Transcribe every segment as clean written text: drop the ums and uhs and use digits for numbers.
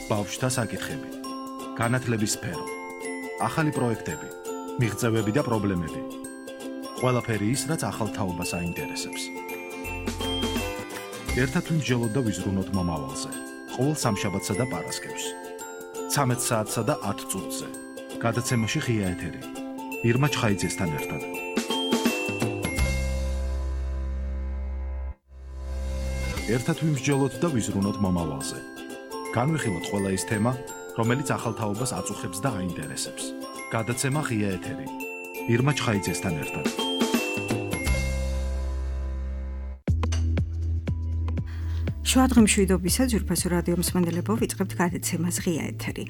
ბავშვთა საკითხები, განათლების სფერო, ახალი პროექტები, მიღწევები და პრობლემები. ყველაფერი ის, რაც ახალ თაობას აინტერესებს. ერთად ვიმსჯელოთ და ვიზრუნოთ მომავალზე. ყოველ სამშაბათსა და პარასკევს. 13 საათსა და 10 წუთზე. გადაცემაში ღია ეთერი. ირმა ჩხაიძესთან ერთად. ერთად ვიმსჯელოთ და ვიზრუნოთ მომავალზე. განვიხილოთ ყველა ის თემა, რომელიც ახალ თაობას აწუხებს და აინტერესებს. გადაცემა ღია ეთერი. ირმა ჩხაიძესთან ერთად. შუადღემშვიდობისა ძვირფასო რადიო მსმენელებო, ვიწყებთ გადაცემას ღია ეთერი.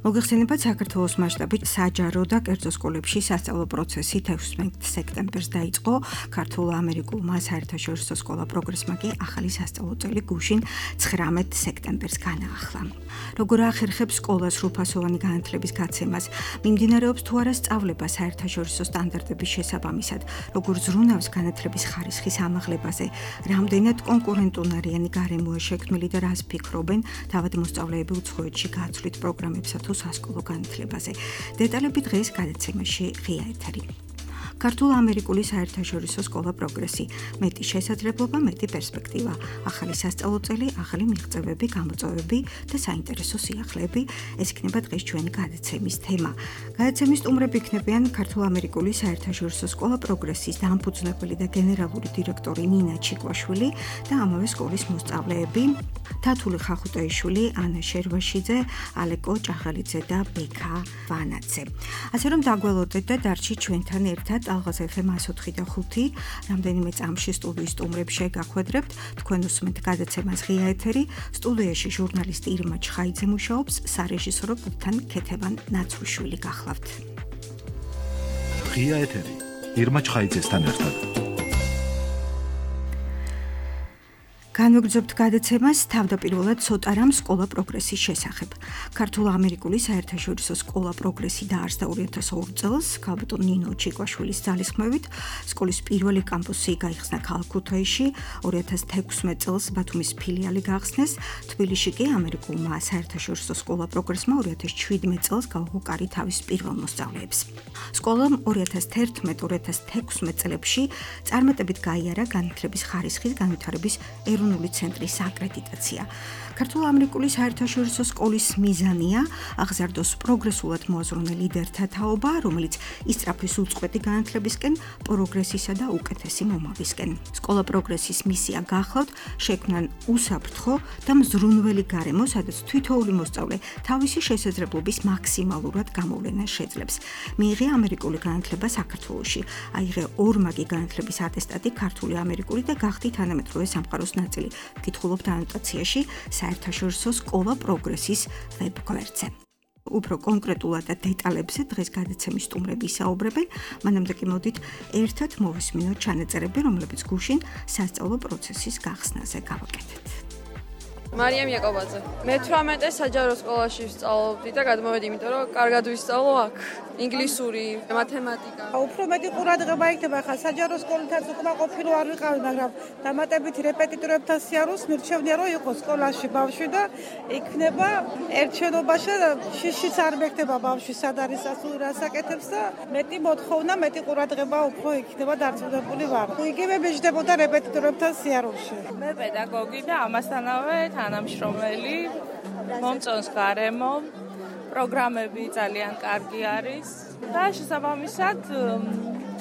მოგეხსენებათ საქართველოს მასშტაბით საჯარო და კერძო სკოლებში სასწავლო პროცესი 16 სექტემბერს დაიწყო. ქართულ-ამერიკულმა საერთაშორისო სკოლა პროგრესმა კი ახალი სასწავლო წელი გუშინ 19 სექტემბერს განაახლა. როგორ ახერხებს სკოლას სრულფასოვანი განათლების გაცემას, მიმდინარეობს თუ არა სწავლება საერთაშორისო სტანდარტების შესაბამისად, როგორ ზრუნავს განათლების ხარისხის ამაღლებაზე, რამდენად კონკურენტუნარიანი გარემოა შექმნილი და რას ფიქრობენ თავად მოსწავლეები უცხოეთში გაცვლით პროგრამებსა თუ სასკოლო განათლებაზე. დეტალები დღეს გადაცემაში ღია ეთერი. ქართულ-ამერიკული საერთაშორისო სკოლა პროგრესი, მეტი შესაძლებლობა, მეტი პერსპექტივა, ახალი სასწავლო წელი, ახალი მიღწევები, გამოწვევები და საინტერესო სიახლეები, ეს იქნება დღეს ჩვენი გადაცემის თემა. გადაცემის სტუმრები იქნებიან ქართულ-ამერიკული საერთაშორისო სკოლა პროგრესის დამფუძნებელი და გენერალური დირექტორი ნინა ჩიკვაშვილი და ამავე სკოლის მოსწავლეები თათული ხახუტაიშვილი, ანა შერვაშიძე, ალეკო ჭაღალიძე და ბექა ვანაძე. ასე რომ დაგველოდეთ და დარჩით ჩვენთან ერთად ალღაზ FM 104 და 5, რამდენიმე წამში სტუდიის სტუმრებს შეგახვედრებთ, თქვენ უსმენთ გადაცემას ღია ეთერი, სტუდიაში ჟურნალისტი ირმა ჩხაიძე მუშაობს, სარეჟისორო პულტთან ქეთევან ნაცრუშვილი გახლავთ. ღია ეთერი, ირმა ჩხაიძესთან ერთად. განვეგრძობთ გადაცემას თავდაპირველად ცოტა რამ სკოლა პროგრესის შესახებ. ქართულ-ამერიკული საერთაშორისო სკოლა პროგრესი დაარსდა 2002 წელს, ქალბატონ ნინო ჩიკვაშვილის ძალისხმევით. სკოლის პირველი კამპუსი გაიხსნა ქალაქ ქუთაისში, 2016 წელს ბათუმის ფილიალი გახსნეს, თბილისში კი ამერიკულმა საერთაშორისო სკოლა პროგრესმა 2017 წელს გაუღო კარი თავის პირველ მოსწავლეებს. სკოლამ 2011-2016 წლებში წარმატებით გაიარა განათლების ხარისხის განვითარების ეროვნული ცენტრის აკრედიტაცია. ქართულ-ამერიკული საერთაშორისო სკოლის მიზანია აღზარდოს პროგრესულად მოაზროვნე ლიდერთა თაობა, რომელიც ისწრაფვის უწყვეტი განათლებისკენ, პროგრესისა და უკეთესი მომავლისკენ. სკოლა პროგრესის მისია გახლავთ შექმნან უსაფრთხო და მზრუნველი გარემო, სადაც თითოეული მოსწავლე თავისი შესაძლებლობის მაქსიმალურად გამოვლენას შეძლებს. მიიღე ამერიკული განათლება საქართველოში, აიღე ორმაგი განათლების ატესტატი ქართული ამერიკული და გახდი თანამედროვე სამყაროს ნაწილი. ვკითხულობთ ანოტაციაში საერთაშორისო სკოლა პროგრესის ვებგვერდზე. უფრო კონკრეტულად და დეტალებზე დღეს გადაცემის სტუმრები ისაუბრებენ, მანამდე კი მოდით ერთად მოვისმინოთ ჩანაწერები, რომლებიც გუშინ სასწავლო პროცესის გახსნაზე გავაკეთეთ. მარიამ იაკობაძე. მე 18 საჯარო სკოლაში ვსწავლობდი და გადმოვედი, იმიტომ რომ კარგად ვისწავლო აქ. ინგლისური, მათემატიკა. უფრო მეტი ყურადღება იქნება ხა საჯარო სკოლითაც უკმაყოფილო არ ვიყავი, მაგრამ დამატებით რეპეტიტორებთან სიარულს მირჩევნია რომ იყოს სკოლაში ბავშვი და იქნება ერთშენობაში და შიშიც არ მეკდება ბავშვი სად არის ასული რასაკეთებს და მეტი მოთხოვნა, მეტი ყურადღება უფრო იქნება დარწმუნებული ვარ. იგივე მიჯდებოდა რეპეტიტორებთან სიარულში. მე პედაგოგი და ამასთანავე თანამშრომელი, მომწონს გარემო, პროგრამები ძალიან კარგი არის და შესაბამისად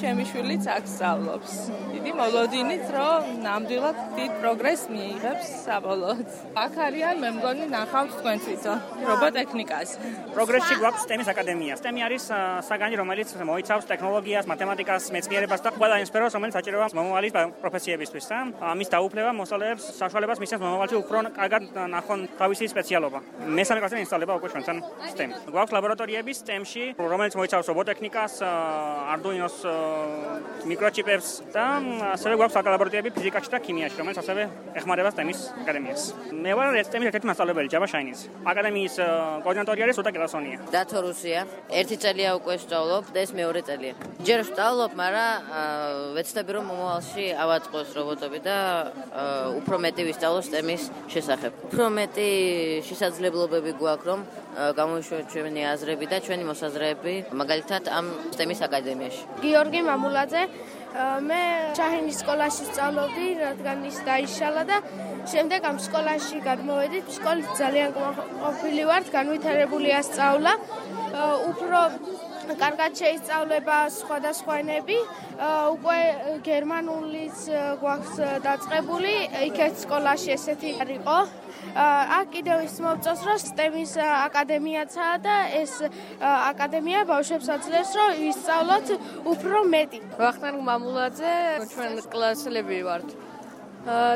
ჩემი შვილიც აქ სწავლობს. დიდი მოლოდინით, რომ ნამდვილად დიდ პროგრესს მიიღებს საბოლოოდ. აქ არიან, მე მგონი, ნახავთ თქვენ თვითონ რობოტექნიკას. პროგრესში გვაქვს STEM-ის აკადემია. STEM-ი არის საგანი, რომელიც მოიცავს ტექნოლოგიას, მათემატიკას, მეცნიერებას და ყველა იმ სფეროს, რომელიც საჭიროა მომავალი პროფესიებისთვის. ამის დაუფლება მოსწავლეებს საშუალებას მისცემს მომავალში უფრო კარგად ნახონ თავისი სპეციალობა. მესამე კლასიდან ინსტალება უკვე ჩვენთან STEM. გვაქვს ლაბორატორიები STEM-ში, რომელიც მოიცავს რობოტექნიკას, Arduino-ს მიკროჩიპებს და ასევე გვაქვს ლაბორატორიები ფიზიკაში და ქიმიაში, რომელიც ასევე ეხმარება STEM-ის აკადემიას. მე ვარ STEM-ის ერთ-ერთი მასწავლებელი Java Shine-ის. აკადემიის კოორდინატორი არის სუტა კილასონია. დათო რუსია. ერთი წელია უკვე ვსწავლობ და ეს მეორე წელია. ჯერ ვსწავლობ, მაგრამ ვეცდები რომ მომავალში ავაწყოს რობოტები და უფრო მეტი ვისწავლო STEM-ის შესახებ. უფრო მეტი შესაძლებლობები გვაქვს რომ გამოვიშვათ ჩვენი აზრები და ჩვენი მოსაზრეები, მაგალითად ამ STEM-ის აკადემიაში. გიორგი მამულაძე, მე შაჰინის სკოლაში ვსწავლობდი, რადგან ის დაიშალა და შემდეგ ამ სკოლაში გადმოვედით. სკოლით ძალიან ყოფილი ვართ, განვითარებულია სწავლა, უფრო კარგად შეისწავლება სხვადასხვა ენები, უკვე გერმანულიც გვაქვს დაწყებული, იქეთ სკოლაში ესეთი არისო. აქ კიდევ ის მოვწონს, რომ STEM-ის აკადემიაცაა და ეს აკადემია ბავშვებს აძლევს, რომ ისწავლოთ უფრო მეტი. ვახტანგ მამულაძე, ჩვენ კლასელები ვართ.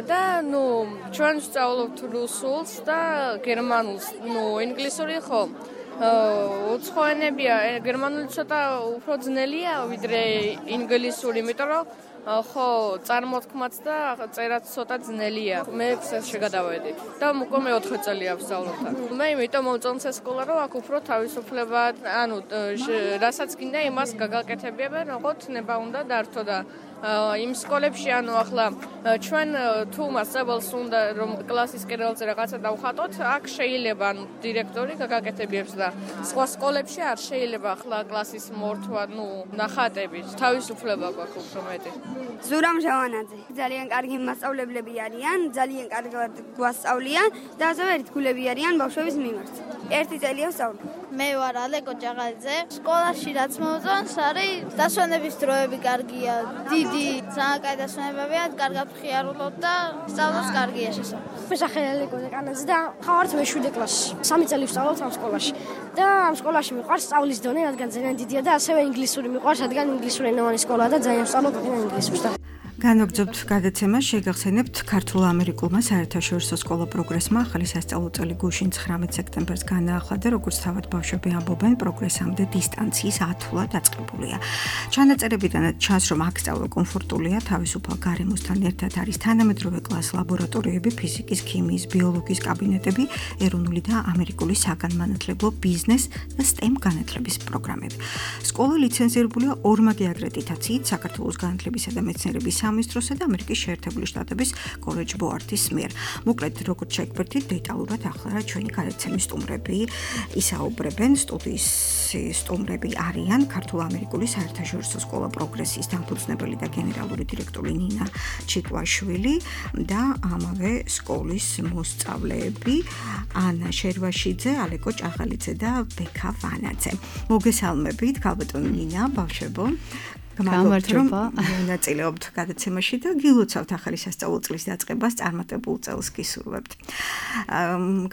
და ჩვენ ვსწავლობთ რუსულს და გერმანულს, ინგლისური ხო. უცხო ენებია, გერმანული ცოტა უფრო ძნელია ვიდრე ინგლისური, იმიტომ რომ ხო წარმოთქმაც და წერაც ცოტა ძნელია. მე შეგადავედი და უკვე მე 4 წელია ვსწავლობ აქ. მე იმიტომ მომწონს ეს სკოლა, რომ აქ უფრო თავისუფლება, რასაც გინდა იმას გაგაკეთებიებენ, როგორც ნება უნდა დართო და იმ სკოლებში ახლა ჩვენ თუ მასწავლებელს უნდა რომ კლასის კერალზე რაღაცა დავხატოთ, აქ შეიძლება დირექტორი გაგაკეთებიებს და სხვა სკოლებში არ შეიძლება ახლა კლასის მორთვა, ნახატები, თავისუფლება გვაქვს უფრო მეტი. ზურამ ჟავანაძე. ძალიან კარგი მასწავლებლები არიან, ძალიან კარგად გვასწავლიან და ასევე ერთგულები არიან ბავშვების მიმართ. ერთი წელია ვსწავლობ. მე ვარ ალეკო ჭაღაძე. სკოლაში რაც მომწონს არის დასვენების დროები კარგია. დიდი საკაი დასვენებებია, კარგად ხიარულობ და სწავლაც კარგია შესაძლოა. მე სახელი ალეკო ჭაღაძე და ხავართ მე 7 კლასში. 3 წელი ვსწავლობ ამ სკოლაში. და ამ სკოლაში მიყვარს სწავლის დონე, რადგან ძალიან დიდია და ასევე ინგლისური მიყვარს, რადგან ინგლისურენოვანი სკოლაა და ძალიან ვსწავლობ ინგლისურს. განვაგრძობთ გადაცემას, შეგახსენებთ ქართულ-ამერიკულმა საერთაშორისო სკოლა პროგრესმა ახალი სასწავლო წელი გუშინ 19 სექტემბერს განაახლა და როგორც თავად ბავშვები ამბობენ, პროგრესამდე დისტანციის ათვლა დაწყებულია. ჩანაწერებიდანაც ჩანს, რომ აქ სწავლა კომფორტულია, თავისუფალ გარემოსთან ერთად არის თანამედროვე კლას ლაბორატორიები, ფიზიკის, ქიმიის, ბიოლოგიის კაბინეტები, ეროვნული და ამერიკული საგანმანათლებლო ბიზნეს და STEM განათლების პროგრამები. სკოლა ლიცენზირებულია ორმაგი აკრედიტაციით საქართველოს განათლებისა და მეცნიერების სამინისტროსა და ამერიკის შეერთებული შტატების კოლეჯ ბოარდის მიერ. მოკლედ, როგორც შეგვერთით, დეტალურად ახლა ჩვენი გადაცემის სტუმრები ისაუბრებენ. სტუდიის სტუმრები არიან ქართულ-ამერიკული საერთაშორისო სკოლა პროგრესის დამფუძნებელი და გენერალური დირექტორი ნინა ჩიკვაშვილი და ამავე სკოლის მოსწავლეები ანა შერვაშიძე, ალეკო ჭაღალიძე და ბექა ვანაძე. მოგესალმებით, ქალბატონი ნინა, ბავშვებო. გამარჯობა. მონაწილეობთ გადაცემაში და გილოცავთ ახალი სასწავლო წლის დაწყებას, წარმატებულ წელს გისურვებთ.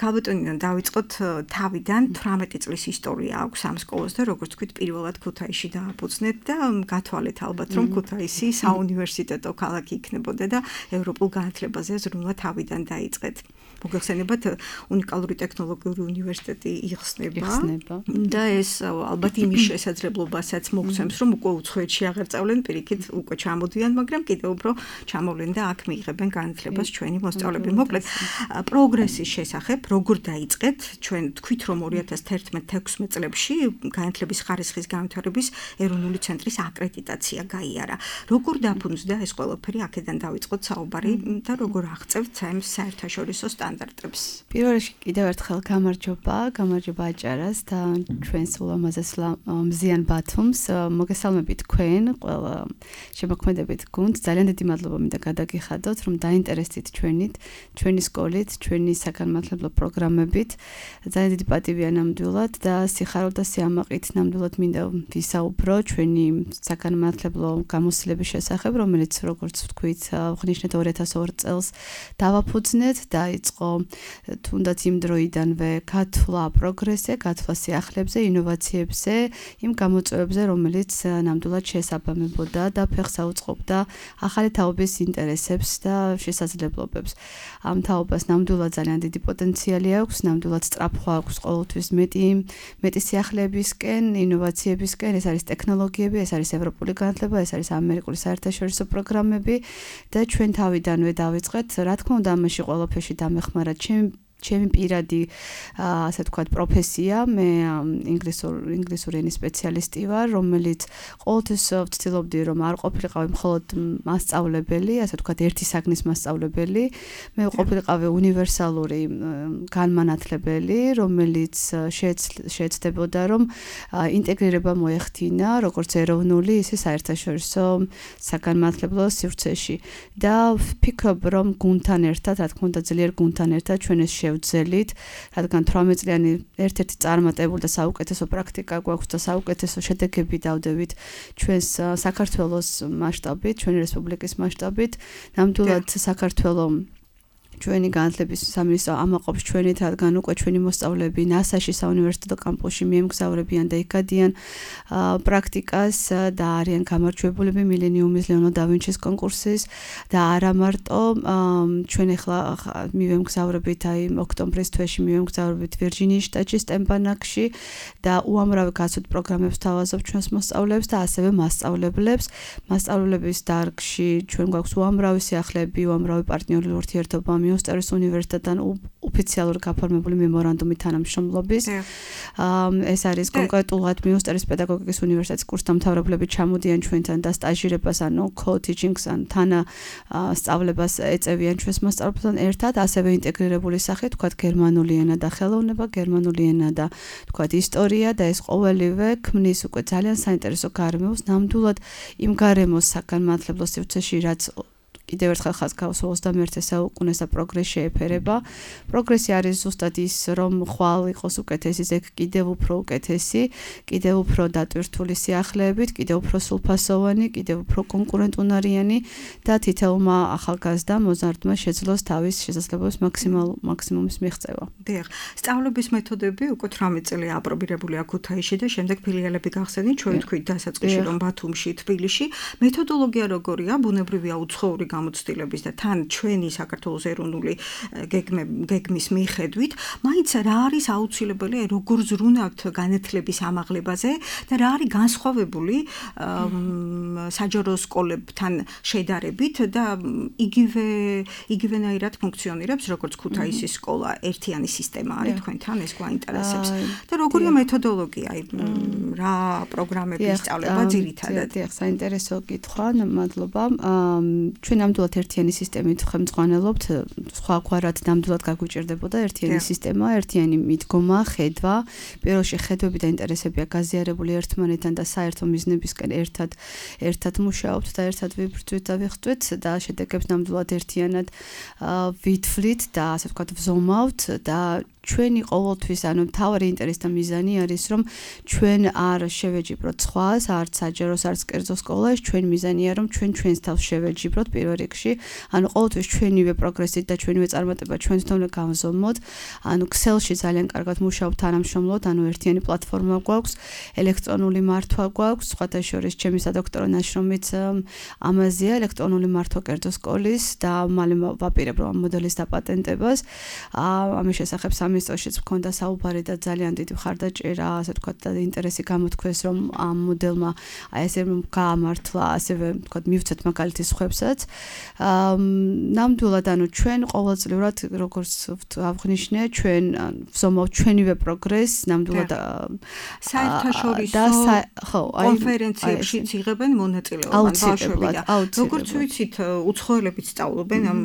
ქალბატონიდან დავიწყოთ თავიდან 18 წლის ისტორია აქვს ამ სკოლას და როგორც თქვით, პირველად ქუთაისში დააფუძნეთ და გათვალეთ ალბათ, რომ ქუთაისი საუნივერსიტეტო ქალაქი იქნებოდა და ევროპულ განათლებაზე ზრუნვა თავიდან დაიწყეთ. მოგეხსენებათ, უნიკალური ტექნოლოგიური უნივერსიტეტი იხსნება და ეს ალბათ იმის შესაძლებლობასაც მოგცემს, რომ უკვე უცხოეთში აღარ წავლენ, პირიქით უკვე ჩამოდიან, მაგრამ კიდევ უფრო ჩამოვლენ და აქ მიიღებენ განათლებას ჩვენი მოსწავლეები. მოკლედ, პროგრესის შესახებ როგორ დაიწყეთ? ჩვენ თქვით, რომ 2011-16 წლებში განათლების ხარისხის განვითარების ეროვნული ცენტრის აკრედიტაცია გაიარა. როგორ დაფუძნდა ეს ყველაფერი? აქედან დავიწყოთ საუბარი და როგორ აღწევთ საერთაშორისო სტანდარტებს. პირველ რიგში კიდევ ერთხელ გამარჯობა აჭარას და ჩვენს ულამაზეს მზიან ბათუმს. მოგესალმებით თქვენ, ყველა შემოქმედებით გუნდს. ძალიან დიდი მადლობა მინდა გადაგიხადოთ, რომ დაინტერესდით ჩვენი სკოლით, ჩვენი საგანმანათლებლო პროგრამებით. ძალიან დიდი პატივია ნამდვილად და სიხარულ და სიამაყით ნამდვილად მინდა ვისაუბრო ჩვენი საგანმანათლებლო გამოცდილების შესახებ, რომელიც როგორც ვთქვით, აღნიშნეთ 2002 წელს დავაფუძნეთ და იწყო იყო თუნდაც იმ დროიდანვე გათვლა პროგრესზე, გათვლა სიახლეებზე, ინოვაციებზე, იმ გამოწვევებზე, რომელიც ნამდვილად შეესაბამებოდა და ფეხს აუწყობდა ახალი თაობის ინტერესებს და შესაძლებლობებს. ამ თაობას ნამდვილად ძალიან დიდი პოტენციალი აქვს, ნამდვილად სწრაფვა აქვს ყოველთვის მეტი სიახლეებისკენ, ინოვაციებისკენ, ეს არის ტექნოლოგიები, ეს არის ევროპული განათლება, ეს არის ამერიკული საერთაშორისო პროგრამები და ჩვენ თავიდანვე დავიწყეთ, რა თქმა უნდა, ამაში ყველაფერში დამეხმარა ჩემი პირადი ასე ვთქვათ პროფესია, მე ინგლისური ენის სპეციალისტი ვარ, რომელიც ყოველთვის ვცდილობდი რომ არ ყოფილიყავი მხოლოდ მასწავლებელი, ასე ვთქვათ ერთი საგნის მასწავლებელი, მე ყოფილიყავი უნივერსალური განმანათლებელი, რომელიც შეეცდებოდა რომ ინტეგრირება მოეხდინა როგორც ეროვნული, ისე საერთაშორისო საგანმანათლებლო სივრცეში და ვფიქრობ რომ გუნდთან ერთად, რა თქმა უნდა ძლიერ გუნდთან ერთად ჩვენ ეს შევძელით, რადგან 18 წლიანი ერთ-ერთი წარმატებული და საუკეთესო პრაქტიკა გვაქვს და საუკეთესო შედეგები დავდებით ჩვენს საქართველოს მასშტაბით, ჩვენი რესპუბლიკის მასშტაბით, ნამდვილად საქართველოს ჩვენი განათლების სამინისტრო ამაყობს ჩვენით, რადგან უკვე ჩვენი მოსწავლეები NASA-ში საუნივერსიტეტო კამპუსში მიემგზავრებიან და იქადიან პრაქტიკას და არიან გამარჯვებულები მილენიუმის ლეონარდო და ვინჩის კონკურსის და არა მარტო ჩვენ ახლა მივემგზავრებით ოქტომბრის თვეში მივემგზავრებით ვირჯინიის შტატში სტემპანაკში და უამრავი გასვით პროგრამებს თავაზობ ჩვენს მოსწავლეებს და ასევე მასწავლებლებს. მასწავლებლების დარგში ჩვენ გვაქვს უამრავი სიახლეები, უამრავი პარტნიორული ურთიერთობა მიუსტერის უნივერსიტეტთან ოფიციალური გაფორმებული მემორანდუმი თანამშრომლობის. ეს არის კონკრეტულად მიუსტერის პედაგოგიკის უნივერსიტეტის კურსდამთავრებლები ჩამოდიან ჩვენთან და სტაჟირებას ანუ co-teaching-ს ან თანასწავლებას ეწევიან ჩვენს მასწავლებელთან ერთად, ასევე ინტეგრირებული სახით, თქვათ გერმანული ენა და ხელოვნება, გერმანული ენა და თქვათ ისტორია და ეს ყოველივე ქმნის უკვე ძალიან საინტერესო გარემოს, ნამდვილად იმ გარემოს საგანმანათლებლო სივრცეში, რაც კიდევ ერთხელ ხაზს გავუსვა 21 საუკუნეს და პროგრესი შეეფერება. პროგრესი არის ზუსტად ის, რომ ხვალ იყოს უკეთესი, ზეგ კიდევ უფრო უკეთესი, კიდევ უფრო დატვირთული სიახლეებით, კიდევ უფრო სრულფასოვანი, კიდევ უფრო კონკურენტუნარიანი და თითოეულმა ახალგაზრდა მოზარდმა შეძლოს თავის შესაძლებლობის მაქსიმუმის მიღწევა. დიახ, სწავლების მეთოდები უკვე 18 წელი აპრობირებულია ქუთაისში და შემდეგ ფილიალები გახსენით, ჩვენ თქვით დასაწყისში რომ ბათუმში, თბილისში. მეთოდოლოგია როგორია? ბუნებრივია უცხოური გამოცდილების და თან ჩვენი საქართველოს ეროვნული გეგმის მიხედვით, მაინც რა არის აუცილებელი, როგორ ზრუნავთ განათლების ამაღლებაზე და რა არის განსხვავებული საჯარო სკოლებთან შედარებით და იგივენაირად ფუნქციონირებს როგორც ქუთაისის სკოლა, ერთიანი სისტემა არის თქვენთან, ეს გვაინტერესებს. და როგორია მეთოდოლოგია, რა პროგრამების სწავლება ძირითადად? დიახ, საინტერესო კითხვა, მადლობა. ჩვენ ნამდვილად ერთიანი სისტემით ხელმძღვანელობთ, სხვაგვარად ნამდვილად გაგვიჭირდებოდა ერთიანი სისტემა, ერთიანი მიდგომა, ხედვა. პირველში ხედვები და ინტერესებია გაზიარებული ერთმანეთთან და საერთო მიზნებისკენ ერთად მუშაობთ და ერთად ვიბრძვით და ვიხტვით და შედეგებს ნამდვილად ერთიანად ვითვლით და ასე ვთქვათ ვზომავთ და ჩვენი ყოველთვის, ანუ მთავარი ინტერესი და მიზანი არის, რომ ჩვენ არ შევეჯიბროთ სხვას, არც საჯაროს, არც კერძო სკოლას, ჩვენ მიზანია, რომ ჩვენს თავს შევეჯიბროთ პირველ რიგში, ანუ ყოველთვის ჩვენივე პროგრესით და ჩვენივე წარმატება ჩვენს თქმით გავზომოთ, ანუ Excel-ში ძალიან კარგად მუშაობთ თანამშრომლობთ, ანუ ერთიანი პლატფორმა გვაქვს, ელექტრონული მართვა გვაქვს, სხვათა შორის ჩემი სადოქტორო ნაშრომიც ამაზეა, ელექტრონული მართვა კერძო სკოლის და მალე ვაპირებ რომ ამ მოდელის დაპატენტებას, ამის შესახებ სამინისტროშიც მქონდა საუბარი და ძალიან დიდი მხარდაჭერა, ასე ვთქვათ, და ინტერესი გამოთქვეს, რომ ამ მოდელმა ესე გაამართლა, ასევე ვთქვათ, მივცეთ მაგალითის ხვებსაც. ნამდვილად, ანუ ჩვენ ყოველწლიურად, როგორც აღნიშნე, ჩვენ ვზომავთ ჩვენივე პროგრესს, ნამდვილად საერთაშორისო კონფერენციებშიც იღებენ მონაწილეობას ბავშვები და როგორც ვიცით, უცხოელებიც სწავლობენ ამ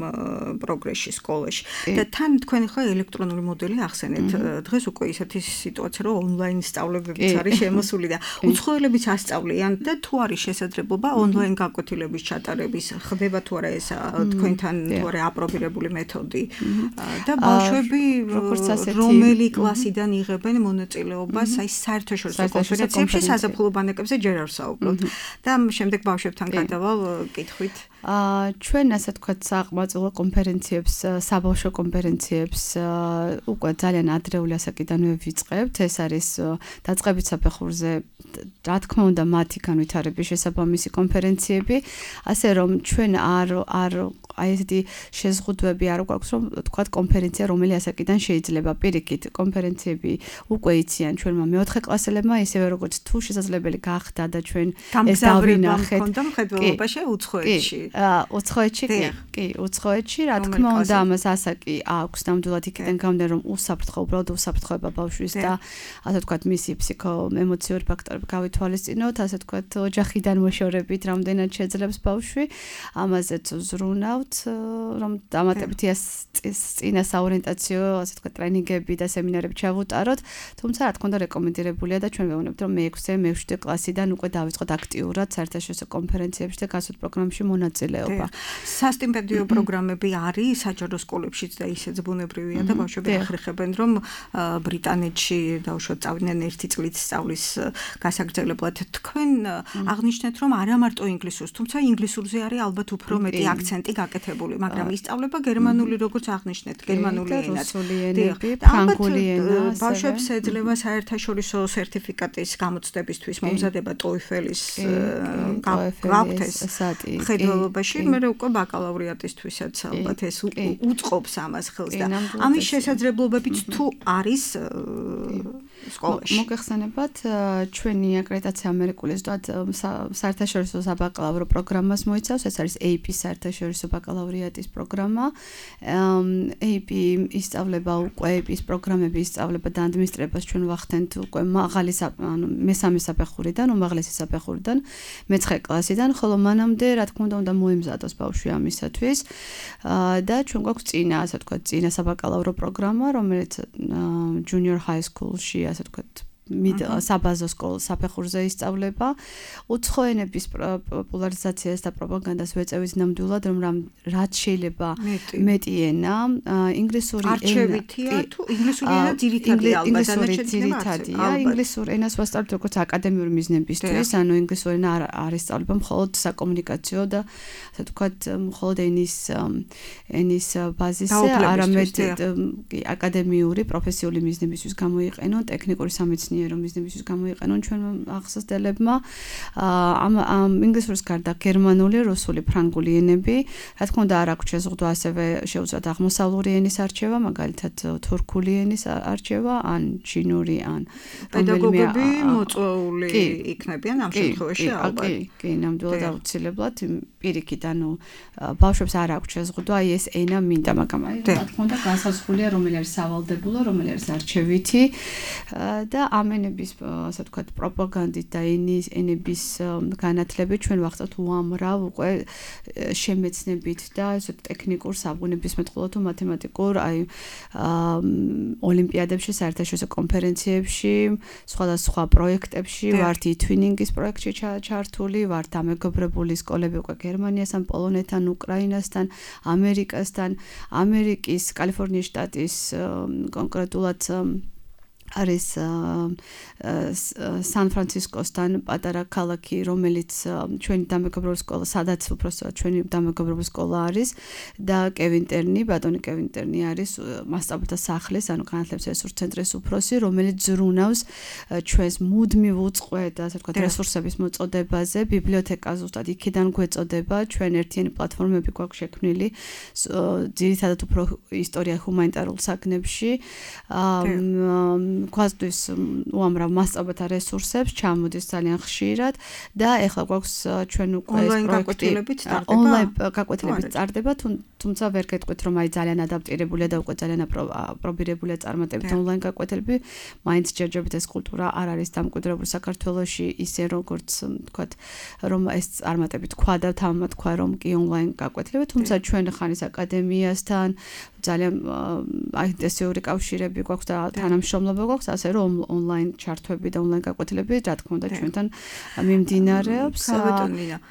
პროგრესში სკოლაში და თან თქვენ ხო ელექტრონული მოდელი ახსენეთ. დღეს უკვე ისეთი სიტუაცია, რომ ონლაინ სწავლებებიც არის შემოსული და უცხოელებიც ასწავლიან და თუ არის შესაძლებლობა ონლაინ გაკვეთილების ჩატარების, ხდება თუ არა ეს თქვენთან თუ არა აპრობირებული მეთოდი და ბავშვები რომელი კლასიდან იღებენ მონაწილეობას აი საერთაშორისო კონფერენციებში, საზაფხულო ბანაკებზე ჯერ არ ვსაუბრობთ და შემდეგ ბავშვებთან გადავალ კითხვით. ჩვენ ასე თქვათ საყმაწვილო კონფერენციებს, საბავშვო კონფერენციებს უკვე ძალიან ადრეული ასაკიდანვე ვიწყებთ. ეს არის დაწყებით საფეხურზე, რა თქმა უნდა, მათი განვითარების შესაბამისი კონფერენციები, ასე რომ ჩვენ არ აი ესეთი შეზღუდვები არ გვაქვს, რომ თქვათ კონფერენცია რომელი ასაკიდან შეიძლება. პირიქით, კონფერენციები უკვე იციან ჩვენმა მეოთხე კლასელებმა, ისევე როგორც თუ შესაძლებელი გახდა და ჩვენ ეს დავინახეთ. გამგზავრება მხედველობაში უცხოეთში. უცხოეთში კი, უცხოეთში, რა თქმა უნდა, ამას ასაკი აქვს ნამდვილად იქიდან გამომდინარე, რომ უსაფრთხო, უბრალოდ უსაფრთხოება ბავშვის და ასე ვთქვათ, მისი ფსიქო-ემოციური ფაქტორები გავითვალისწინოთ, ასე ვთქვათ, ოჯახიდან მოშორებით, რამდენად შეძლებს ბავშვი, ამაზეც ვზრუნავთ, რომ დამატებითი წინა საორიენტაციო, ასე ვთქვათ, ტრენინგები და სემინარები ჩავუტაროთ, თუმცა რა თქმა უნდა, რეკომენდირებულია და ჩვენ ვეუბნებთ, რომ მე-6 მე-7 კლასიდან უკვე დავიწყოთ აქტიურად საერთაშორისო კონფერენციებში და გასვით პროგრამებში მონაწილეობა. სასტიპენდიო პროგრამები არის საჯარო სკოლებშიც და ისეც ბუნებრივია და ბავშვები ახერხებენ, რომ ბრიტანეთში დაუშვათ წავიდნენ 1 წლით სწავლის გასაგრძელებლად. თქვენ აღნიშნეთ, რომ არა მარტო ინგლისურს, თუმცა ინგლისურზე არის ალბათ უფრო მეტი აქცენტი გაკეთებული, მაგრამ ისწავლება გერმანული, როგორც აღნიშნეთ, გერმანული ენაც. ფრანგული ენა. ბავშვებს ეძლევა საერთაშორისო სერტიფიკატის გამოცდებისთვის მომზადება TOEFL-ის გაქვთ ეს ხედველობაში, მე უკვე ბაკალავრიატისთვისაც ალბათ ეს უწყობს ამას ხელს და ამის შესაძლებლობებიც თუ არის სკოლაში. მოგეხსენებათ, ჩვენი აკრედიტაცია ამერიკული ზუსტად საერთაშორისო საბაკალავრო პროგრამას მოიცავს, ეს არის AP საერთაშორისო ბაკალავრიატის პროგრამა. AP ისწავლება უკვე AP-ის პროგრამები ისწავლება და ადმინისტრებას ჩვენ ვახდენთ უკვე მაღალი მესამე საფეხურიდან, უმაღლესი საფეხურიდან, მე-9 კლასიდან, ხოლო მანამდე რა თქმა უნდა მოემზადოს ბავშვი ამისათვის და ჩვენ გვაქვს წინა, ასე ვთქვათ, წინა საბაკალავრო პროგრამა, რომელიც junior high school-ში, ასე ვთქვათ, საბაზო სკოლის საფეხურზე ისწავლება. უცხო ენების პოპულარიზაციას და პროპაგანდას ვეწევით ნამდვილად, რომ რაც შეიძლება მეტი ენა, ინგლისური ენა. არჩევითია თუ ინგლისური ენა ძირითადია ალბათ, ძირითადია. ინგლისურ ენას ვასწავლებთ როგორც აკადემიური მიზნებისთვის, ანუ ინგლისური ენა არ ისწავლება მხოლოდ საკომუნიკაციო და ასე ვთქვათ, მხოლოდ ენის ბაზისზე, არამედ აკადემიური, პროფესიული მიზნებისთვის გამოიყენონ, ტექნიკური სამეცნიერო მიზნებისთვის გამოიყენონ ჩვენ ახსასდებლებმა. ამ ინგლისურის გარდა გერმანული, რუსული, ფრანგული ენები, რა თქმა უნდა, არ აქვს შეზღუდვა ასევე შეუძლოთ აღმოსავლური ენის არჩევა, მაგალითად თურქული ენის არჩევა, ან ჩინური, ან პედაგოგები მოწვეული იქნებიან ამ შემთხვევაში ალბათ. კი, ნამდვილად აუცილებლად პირიქით, ანუ ბავშვებს არ აქვს შეზღუდვა, აი ეს ენა მინდა, მაგრამ აი რა თქმა უნდა, განსაზღვრულია, რომელი არის სავალდებულო, რომელი არის არჩევითი და ამ ენების, ასე ვთქვათ, პროპაგანდით და ენების განათლებით ჩვენ ვახცევთ უამრავ უკვე შემეცნებით და ესე ტექნიკურ საბუნებისმეტყველო თუ მათემატიკურ აი ოლიმპიადებში, საერთაშორისო კონფერენციებში, სხვადასხვა პროექტებში, ვართ იტვინინგის პროექტში ჩართული, ვართ დამეგობრებული სკოლები უკვე გერმანიასთან, პოლონეთთან, უკრაინასთან, ამერიკასთან, ამერიკის კალიფორნიის შტატის კონკრეტულად არის სან-ფრანცისკოსთან პატარა ქალაქი, რომელიც ჩვენი დამეგობრებული სკოლა, სადაც უბრალოდ ჩვენი დამეგობრებული სკოლა არის და კევინტერნი, ბატონი კევინტერნი არის მასწავლებელთა სახლის, ანუ განათლების რესურს ცენტრის უფროსი, რომელიც ზრუნავს ჩვენს მუდმივ უწყლოდ, ასე ვთქვათ, რესურსების მოწოდებაზე, ბიბლიოთეკა ზუსტად იქიდან გვეწოდება, ჩვენ ერთიანი პლატფორმები გვაქვს შექმნილი, ძირითადად უფრო ისტორია ჰუმანიტარულ საგნებში, გვასწავლის უამრავ მასწავლებელთა რესურსებს, ჩამოდის ძალიან ხშირად და ეხლა გვაქვს ჩვენ უკვე ეს პროექტი ონლაინ გაკვეთილებით წარდება, თუმცა ვერ გეტყვით, რომ აი ძალიან ადაპტირებულია და უკვე ძალიან აპრობირებულია წარმატებით ონლაინ გაკვეთილები, მაინც ჯერჯერობით ეს კულტურა არ არის დამკვიდრებული საქართველოში, ისე როგორც ვთქვათ, რომ ეს წარმატებით თქვა და თამამად თქვა, რომ კი ონლაინ გაკვეთილები, თუმცა ჩვენ ხანის აკადემიასთან ძალიან ინტენსიური კავშირები გვაქვს და თანამშრომლობა გვაქვს, ასე რომ ონლაინ ჩართვები და ონლაინ გაკვეთილები, რა თქმა უნდა, ჩვენთან მიმდინარეობს.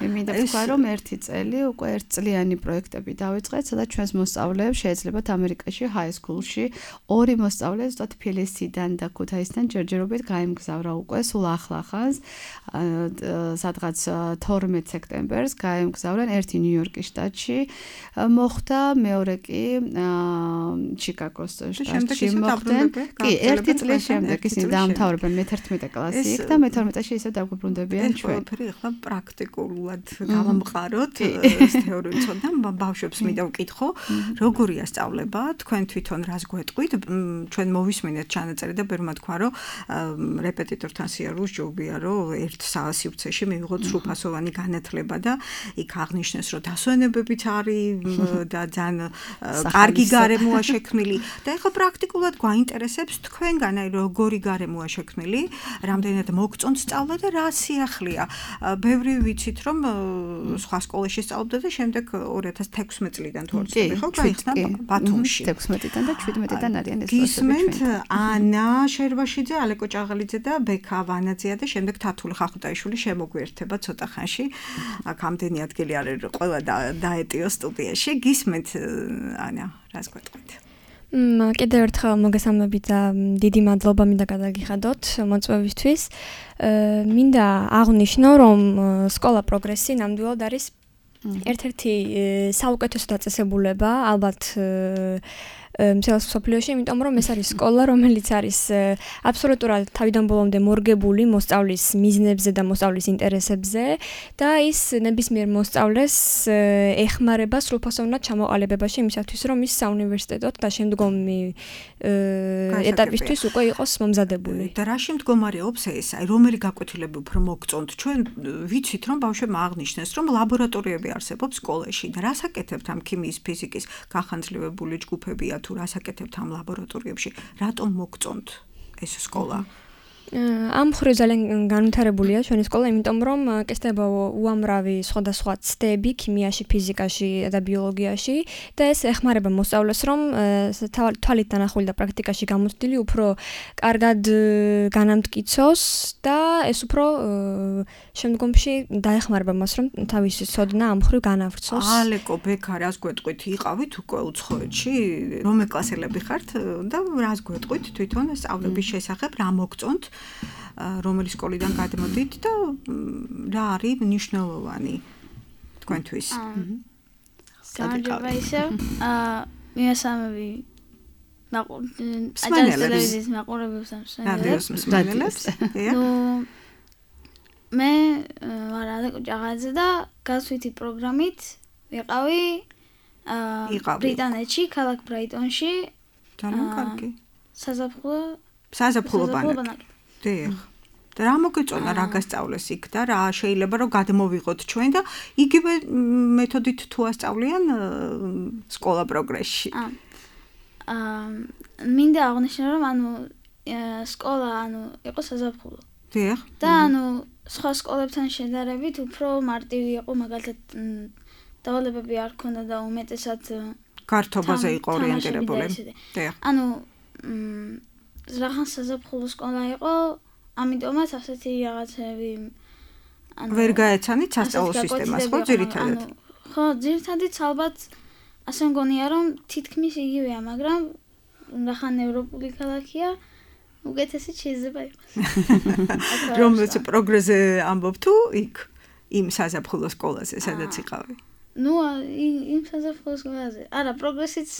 მინდა ვთქვა, რომ ერთი წელი უკვე ერთწლიანი პროექტები დავიწყეთ, სადაც ჩვენს მოსწავლეებს შეეძლებათ ამერიკაში high school-ში ორი მოსწავლე ზუსტად ფილისიდან და ქუთაისიდან ჯერჯერობით გაემგზავრა უკვე სულ ახლახანს, სადღაც 12 სექტემბერს გაემგზავრნენ, ერთი ნიუ-იორკის შტატში მოხდა, მეორე კი ჩიკაგოს შტატში მოხდა. კი, ერთი წლის შემდეგ ისინი დაამთავრებენ მე-11 კლასი იქ და მე-12-ში ისევ დაგვიბრუნდებიან ჩვენ. ეს ახლა პრაქტიკულად გავამყაროთ ეს თეორიული ცოდნა, ბავშვებს მინდა ვკითხო, როგორია სწავლება, თქვენ თვითონ რას გვეტყვით, ჩვენ მოვისმინეთ ჩანაწერი და ბერმა თქვა, რომ რეპეტიტორთან სიარულს ჯობია, რომ ერთ სივრცეში მივიღოთ სრულფასოვანი განათლება და იქ აღნიშნეს, რომ დასვენებებიც არის და ძალიან კარგი გარემოა შექმნილი და ეხლა პრაქტიკულად გვაინტერესებს თქვენგან აი როგორი გარემოა შექმნილი, რამდენად მოგწონთ სწავლა და რა სიახლეა. ბევრი ვიცით, რომ სხვა სკოლაში სწავლობდა და შემდეგ 2016 წლიდან თუ არ ვცდები, ხო, გაიხსნა ბათუმში. 16-დან და 17-დან არიან ეს გისმენთ ანა შერვაშიძე, ალეკო ჭაღალიძე და ბექა ვანაძეა და შემდეგ თათული ხახუტაიშვილი შემოგვიერთება ცოტა ხანში. აქ ამდენი ადგილი არის, ყველა დაეტიო სტუდიაში. გისმენთ ანა, რას გვეტყვით? კიდევ ერთხელ მოგესალმებით და დიდი მადლობა მინდა გადაგიხადოთ მოწვევისთვის. მინდა აღვნიშნო, რომ სკოლა პროგრესი ნამდვილად არის ერთ-ერთი საუკეთესო დაწესებულება, ალბათ მთელს მსოფლიოში, იმიტომ რომ ეს არის სკოლა, რომელიც არის აბსოლუტურად თავიდან ბოლომდე მორგებული მოსწავლის მიზნებზე და მოსწავლის ინტერესებზე და ის ნებისმიერ მოსწავლეს ეხმარება სრულფასოვნად ჩამოყალიბებაში იმისათვის, რომ ის საუნივერსიტეტოდ და შემდგომი ეტაპისთვის უკვე იყოს მომზადებული. და რაში მდგომარეობს ეს? აი რომელი გაკვეთილები უფრო მოგწონთ? ჩვენ ვიცით, რომ ბავშვებმა აღნიშნეს, რომ ლაბორატორიები არსებობს სკოლაში და რას აკეთებთ ამ ქიმიის, ფიზიკის გახანძლივებული ჯგუფებია თუ რას აკეთებთ ამ ლაბორატორიებში? რატომ მოგწონთ ეს სკოლა? ამ მხრივ ძალიან განვითარებულია ჩვენი სკოლა, იმიტომ რომ კეთდება უამრავი სხვადასხვა ცდები ქიმიაში, ფიზიკაში და ბიოლოგიაში და ეს ეხმარება მოსწავლეს, რომ თვალით დანახული და პრაქტიკაში გამოცდილი უფრო კარგად განამტკიცოს და ეს უფრო შემდგომში დაეხმარება მას, რომ თავისი ცოდნა ამ მხრივ განავრცოს. ალეკო ბექა, რას გვეტყვით? იყავით უკვე უცხოეთში? რომელ კლასელები ხართ და რას გვეტყვით თვითონ სწავლების შესახებ, რა მოგწონთ? რომელი სკოლიდან გადმოდით და რა არის მნიშვნელოვანი თქვენთვის? გამარჯობა ისევ. მიესალმები აჯანყების მაყურებელს და მსმენელებს. ნუ მე ვარ ალეკო ჭაღაძე და გასვითი პროგრამით ვიყავი ბრიტანეთში, ქალაქ ბრაიტონში. ძალიან კარგი. საზაფხულო ბანაკი. დიახ. და რა მოგეწონა რა გასწავლეს იქ და რა შეიძლება რომ გადმოვიღოთ ჩვენ და იგივე მეთოდით თუ ასწავლიან სკოლა პროგრესში. მინდა აღნიშნო რომ სკოლა იყო საზაფხულო. დიახ. და სხვა სკოლებთან შედარებით უფრო მარტივი იყო, მაგალითად დავალებები არ ქონდა და უმეტესად გართობაზე იყო ორიენტირებული. დიახ. რაღაც საზაფხულო სკოლა იყო, ამიტომაც ასეთი რაღაცები ვერ გაეცანით სასწავლო სისტემას, ხო, ძირითადად? ხო, ძირითადად ალბათ ასე მგონია, რომ თითქმის იგივეა, მაგრამ რახან ევროპული ქალაქია, უკეთესი შეიძლება იყოს. რომ პროგრესზე ამბობ თუ იქ იმ საზაფხულო სკოლაზე, სადაც იყავი? ნუ იმ საზაფხულო სკოლაზე. არა, პროგრესიც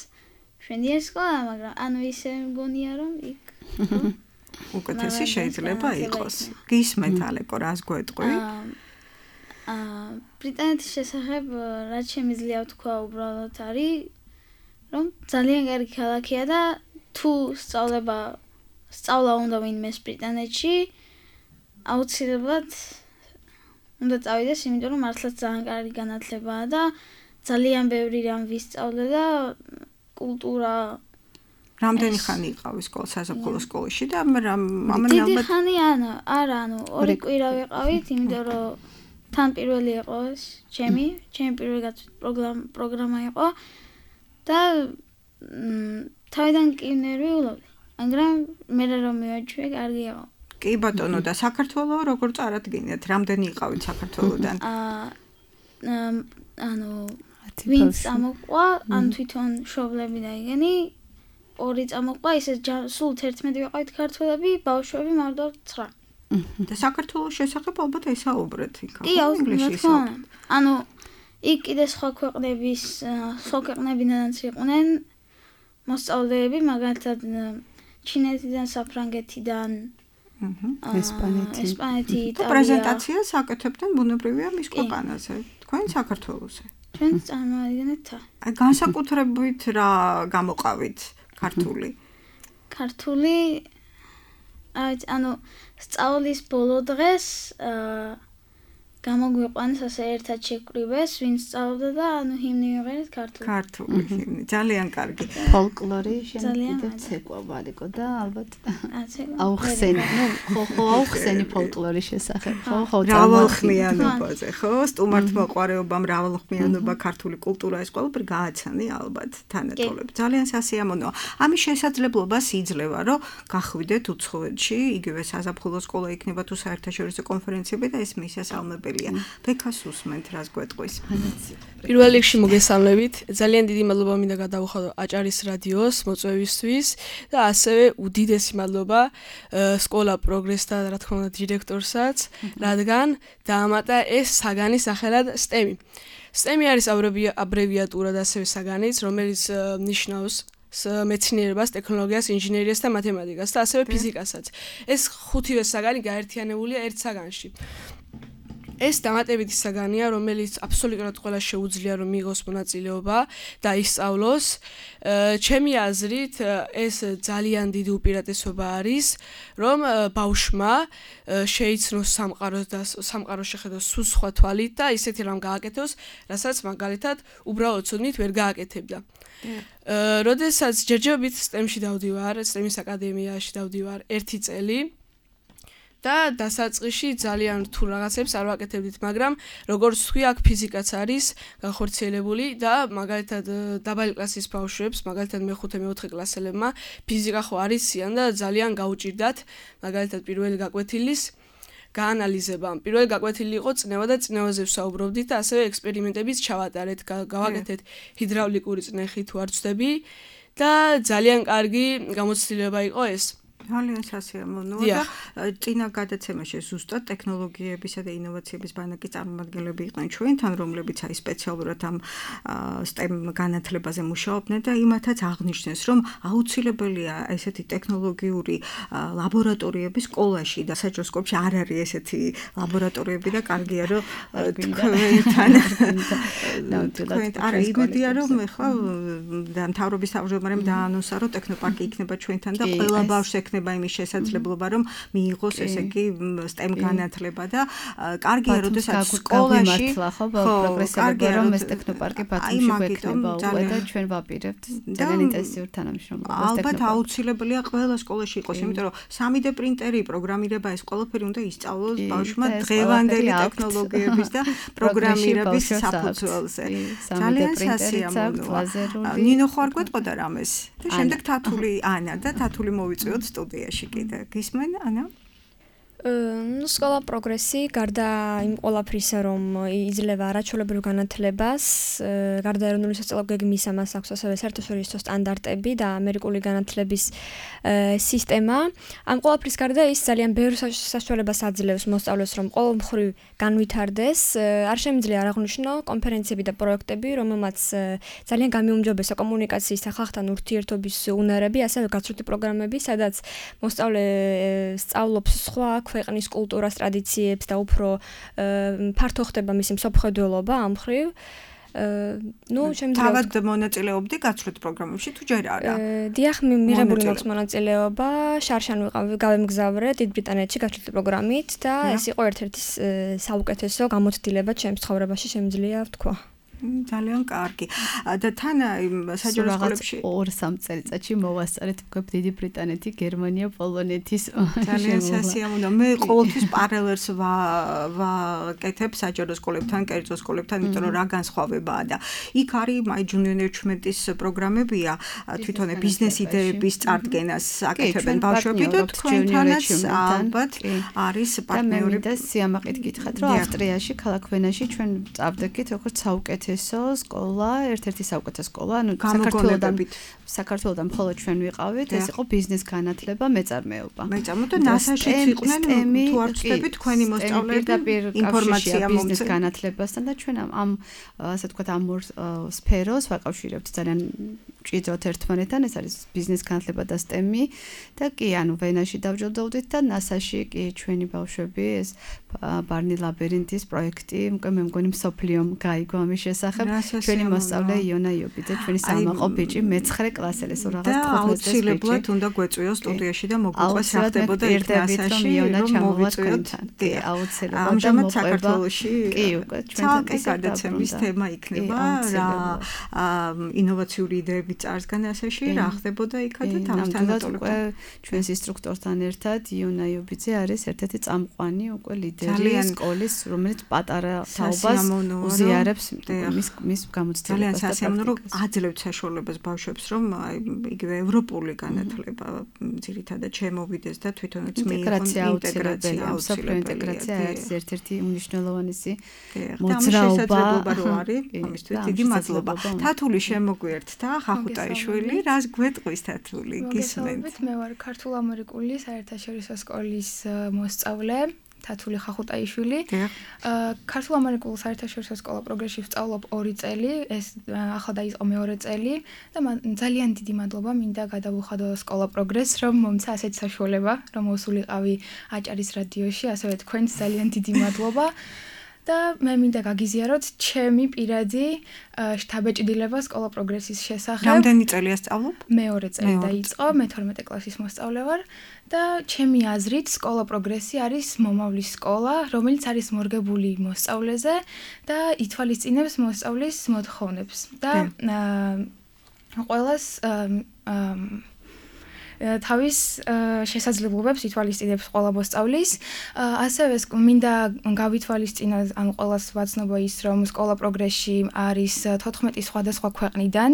შვენიერი სკოლა, მაგრამ ისე მგონია, რომ იქ უკეთესი შეიძლება იყოს. გისმენთ ალეკო, რას გვეტყვი? ბრიტანეთის შესახებ რაც შემიძლია ვთქვა უბრალოდ არის, რომ ძალიან კარგი ქალაქია და თუ სწავლა უნდა ვინმეს ბრიტანეთში, აუცილებლად უნდა წავიდეს, იმიტომ რომ მართლაც ძალიან კარგი განათლებაა და ძალიან ბევრი რამ ვისწავლე და კულტურა. რამდენი ხანი იყავი საზაფხულო სკოლაში და დიდი ხანი არა, 2 კვირა ვიყავით, იმიტომ რომ თან პირველი იყო ეს ჩემი პირველი პროგრამა იყო და თავიდან კი ნერვიულობდი. მაგრამ მე რომ მივაჩვე, კარგი იყო. კი ბატონო და საქართველოს როგორ წარადგინეთ? რამდენი იყავით საქართველოსდან? ანუ ვინც ამოყვა, ან თვითონ შობლები დაიგენი, ორი წამოყვა, ისე სულ 11 ვიყავით ქართველები, ბავშვები მარტო 9. და საქართველოს შესახებ ალბათ ესაუბრეთ იქ. კი, ინგლისურად. ანუ იქ კიდე სხვა ქვეყნებიდანაც იყვნენ მოსწავლეები, მაგალითად ჩინეთიდან, საფრანგეთიდან, ესპანეთი, იტალია. პრეზენტაციას აკეთებდნენ ბუნებრივია მის ქვეყანაზე, თქვენ საქართველოსზე. ჩვენ წარმოვიდგენთ. აი განსაკუთრებით რა გამოყავით ქართული? ქართული ანუ სწავლის ბოლო დღეს გამოგვიყვანეს ასე ერთად შეკვრივეს, ვინც სწავლობდა და ანუ ჰიმნი მივიღეთ ქართული. ქართული ჰიმნი, ძალიან კარგი. ფოლკლორი შემიძლია ცეკვა ვარიკო და ალბათ აუხსენი, აუხსენი ფოლკლორის შესახებ, ხო, მრავალხმიანობაზე, ხო, სტუმართმოყვარეობა, მრავალხმიანობა, ქართული კულტურა, ეს ყველაფერი გააცანი ალბათ თანატოლებს. ძალიან სასიამოვნოა. ამის შესაძლებლობას იძლევა, რომ გახვიდეთ უცხოეთში, იგივე საზაფხულო სკოლა იქნება თუ საერთაშორისო კონფერენციები და ეს მისასალმები ფექას უსმენთ რას გვეტყვის. პირველ რიგში მოგესალმებით. ძალიან დიდი მადლობა მინდა გადავუხადო აჭარის რადიოს მოწვევისთვის და ასევე უდიდესი მადლობა სკოლა პროგრესს და რა თქმა უნდა დირექტორსაც, რადგან დაამატა ეს საგანი სახელად STEM-ი. STEM-ი არის აბრევიატურა და ასევე საგანიც, რომელიც ნიშნავს მეცნიერებას, ტექნოლოგიას, ინჟინერიას და მათემატიკას და ასევე ფიზიკასაც. ეს ხუთივე საგანი გაერთიანებულია ერთ საგანში. ეს დამატებითი საგანია, რომელიც აბსოლუტურად ყველა შეუძლია რომ მიიღოს მონაწილეობა და ისწავლოს. ჩემი აზრით, ეს ძალიან დიდი უპირატესობა არის, რომ ბავშვმა შეიცნოს სამყაროს შეხედოს სულ სხვა თვალით და ისეთი რამ გააკეთოს, რასაც მაგალითად უბრალოდ ცოდნით ვერ გააკეთებდა. როდესაც ჯერჯერობით STEM-ში დავდივარ, STEM-ის აკადემიაში დავდივარ 1 წელი და დასაწყისში ძალიან რთულ რაღაცებს არ ვაკეთებდით, მაგრამ როგორც თქვი, აქ ფიზიკაც არის განხორციელებული და მაგალითად დაბალი კლასის ბავშვებს, მაგალითად მე-5-მე-4 კლასელებმა ფიზიკა ხო არიციან და ძალიან გაუჭირდათ, მაგალითად პირველი გაკვეთილის გაანალიზება. პირველი გაკვეთილი იყო წნევა და წნევაზე ვსაუბრობდით და ასევე ექსპერიმენტებიც ჩავატარეთ, გავაკეთეთ ჰიდრავლიკური წნეხი თუ არ ვცდები და ძალიან კარგი გამოცდილება იყო ეს. ძალიან სასიამოვნოა და წინა გადაცემაში ზუსტად ტექნოლოგიებისა და ინოვაციების ბანაკის წარმომადგენლები იყვნენ ჩვენთან, რომლებიც აი სპეციალურად ამ STEM განათლებაზე მუშაობდნენ და იმათაც აღნიშნეს, რომ აუცილებელია ესეთი ტექნოლოგიური ლაბორატორიები სკოლაში და საჯროსკოპში არ არის ესეთი ლაბორატორიები და კარგია რომ თქვენთან არა იმედია რომ ეხლა მთავრობის თავმჯდომარემ დაანონსა რომ ტექნოპარკი იქნება ჩვენთან და ყველა ბავშვს ექნება იმის შესაძლებლობა რომ მიიღოს ესე იგი STEM განათლება და კარგია როდესაც სკოლაში ხო პროგრესებია რომ ეს ტექნოპარკი ბათუმში გვექნება უკვე და ჩვენ ვაპირებთ ძალიან ინტენსიურ თანამშრომლობას ალბათ აუცილებელია ყველა სკოლაში იყოს იმიტომ რომ 3D პრინტერი პროგრამირება ეს ყველაფერი უნდა ისწავლოს ბავშვმა დღევანდელი ტექნოლოგიების და პროგრამირების საფუძველზე ძალიან სასიამოვნოა ნინო ხო არ გვეტყოდა რამეს და შემდეგ თათული ანა და თათული მოვიწვიოთ სტუდიაში კიდე. გისმენ, ანა? სკოლა პროგრესი გარდა იმ ყველაფრისა, რომ იძლევა არაჩვეულებრივ განათლებას, გარდა ეროვნული სასწავლო გეგმის ამას აქვს ასევე საერთაშორისო სტანდარტები და ამერიკული განათლების სისტემა. ამ ყველაფრის გარდა ის ძალიან ბევრ საშუალებას აძლევს მოსწავლეს, რომ ყოველმხრივ განვითარდეს. არ შემიძლია არ აღვნიშნო კონფერენციები და პროექტები, რომელმაც ძალიან გამიუმჯობესა კომუნიკაციის და ხალხთან ურთიერთობის უნარები, ასევე გაცვლითი პროგრამები, სადაც მოსწავლე სწავლობს სხვა ქვეყნის კულტურას, ტრადიციებს და უფრო ფართო ხდება მისი მსოფლმხედველობა ამ მხრივ. თავად მონაწილეობდი გაცვლით პროგრამებში თუ ჯერ არა? დიახ, მიღებული მაქვს მონაწილეობა, შარშან გავემგზავრე დიდ ბრიტანეთში გაცვლითი პროგრამით და ეს იყო ერთ-ერთი საუკეთესო გამოცდილება ჩემს ცხოვრებაში, შემიძლია ვთქვა. ძალიან კარგი. და თან საჯარო სკოლებში 2-3 წელიწადში მოვასწარეთ უკვე დიდი ბრიტანეთი, გერმანია, პოლონეთის ძალიან სასიამოვნო. მე ყოველთვის პარალელს ვაკეთებ საჯარო სკოლებთან, კერძო სკოლებთან, იმიტომ რომ რა განსხვავებაა და იქ არის My Junior Enrichment-ის პროგრამებია, თვითონ ბიზნეს იდეების წარდგენას აკეთებენ ბავშვები და თქვენთანაც ალბათ არის პარტნიორები. და სიამაყით გითხრათ, რომ ავსტრიაში, ქალაქ ვენაში ჩვენ წავდექით როგორც საუკეთესო სკოლა, ერთ-ერთი საუკეთესო სკოლა, ანუ საქართველოდან მხოლოდ ჩვენ ვიყავით, ეს იყო ბიზნეს განათლება, მეწარმეობა. და NASA-შიც იყვნენ, თუ არ ვწდები თქვენი მოსწავლეები ინფორმაცია ბიზნეს განათლებასთან და ჩვენ ამ ასე ვთქვათ ამ ორ სფეროს ვაკავშირებთ ძალიან ჭიდროდ ერთმანეთთან, ეს არის ბიზნეს განათლება და STEM-ი და კი, ანუ ვენაში დავჯილდოვდით და NASA-ში კი ჩვენი ბავშვები ეს ბარნი ლაბირინთის პროექტი, მე მგონი მსოფლიომ გაიგო ამის შესახებ. ჩვენი მოსწავლე იონა იობიძე, ჩვენი სამაყო ბიჭი მე-9 კლასელი, სულ რაღაც 15 წლის ბიჭი. აუცილებლად უნდა გვეწვიოს სტუდიაში და მოგვიყვეს რა ხდებოდა ერთ NASA-ში, რომ მოვიწვიოთ. კი, აუცილებლად. ამჟამად საქართველოში კი, უკვე ჩვენთან გადაცემის თემა იქნება რა ინოვაციური იდეები წარსგან NASA-ში, რა ხდებოდა იქა და თავისთან უკვე ჩვენს ინსტრუქტორთან ერთად იონა იობიძე არის ერთ-ერთი წამყვანი უკვე ლიდერი სკოლის, რომელიც პატარა თაობას უზიარებს მის გამოცდილებას. ძალიან სასიამოვნო, რომ აძლევთ საშუალებას ბავშვებს, რომ იგივე ევროპული განათლება ძირითადად შემოვიდეს და თვითონაც ინტეგრაცია ინტეგრაცია არის ერთ-ერთი უმნიშვნელოვანესი მოძრაობა რო არის. ამისთვის დიდი მადლობა. თათული შემოგვიერთდა, ხახუტაიშვილი, რას გვეტყვის თათული? გისმენთ. მე ვარ ქართულ-ამერიკული საერთაშორისო სკოლის მოსწავლე. თათული ხახუტაიშვილი. ქართულ-ამერიკულ საერთაშორისო სკოლა პროგრესში ვსწავლობ 2 წელი, ეს ახლა დაიწყო მეორე წელი და ძალიან დიდი მადლობა მინდა გადავუხადო სკოლა პროგრესს, რომ მომცა ასეთ საშუალება, რომ მოსულიყავი აჭარის რადიოში, ასევე თქვენს ძალიან დიდი მადლობა. და მე მინდა გაგიზიაროთ ჩემი პირადი შთაბეჭდილება სკოლა პროგრესის შესახებ. რამდენი წელია სწავლობ? მეორე წელი დაიწყო, მე 12 კლასის მოსწავლე ვარ და ჩემი აზრით სკოლა პროგრესი არის მომავლის სკოლა, რომელიც არის მორგებული მოსწავლეზე და ითვალისწინებს მოსწავლის მოთხოვნებს. და ყველას თავის შესაძლებლობებს ითვალისწინებს ყველა მოსწავლის. ასევე მინდა გავითვალისწინა, ანუ ყველას ვაცნობა ის, რომ სკოლა პროგრესში არის 14 სხვადასხვა ქვეყნიდან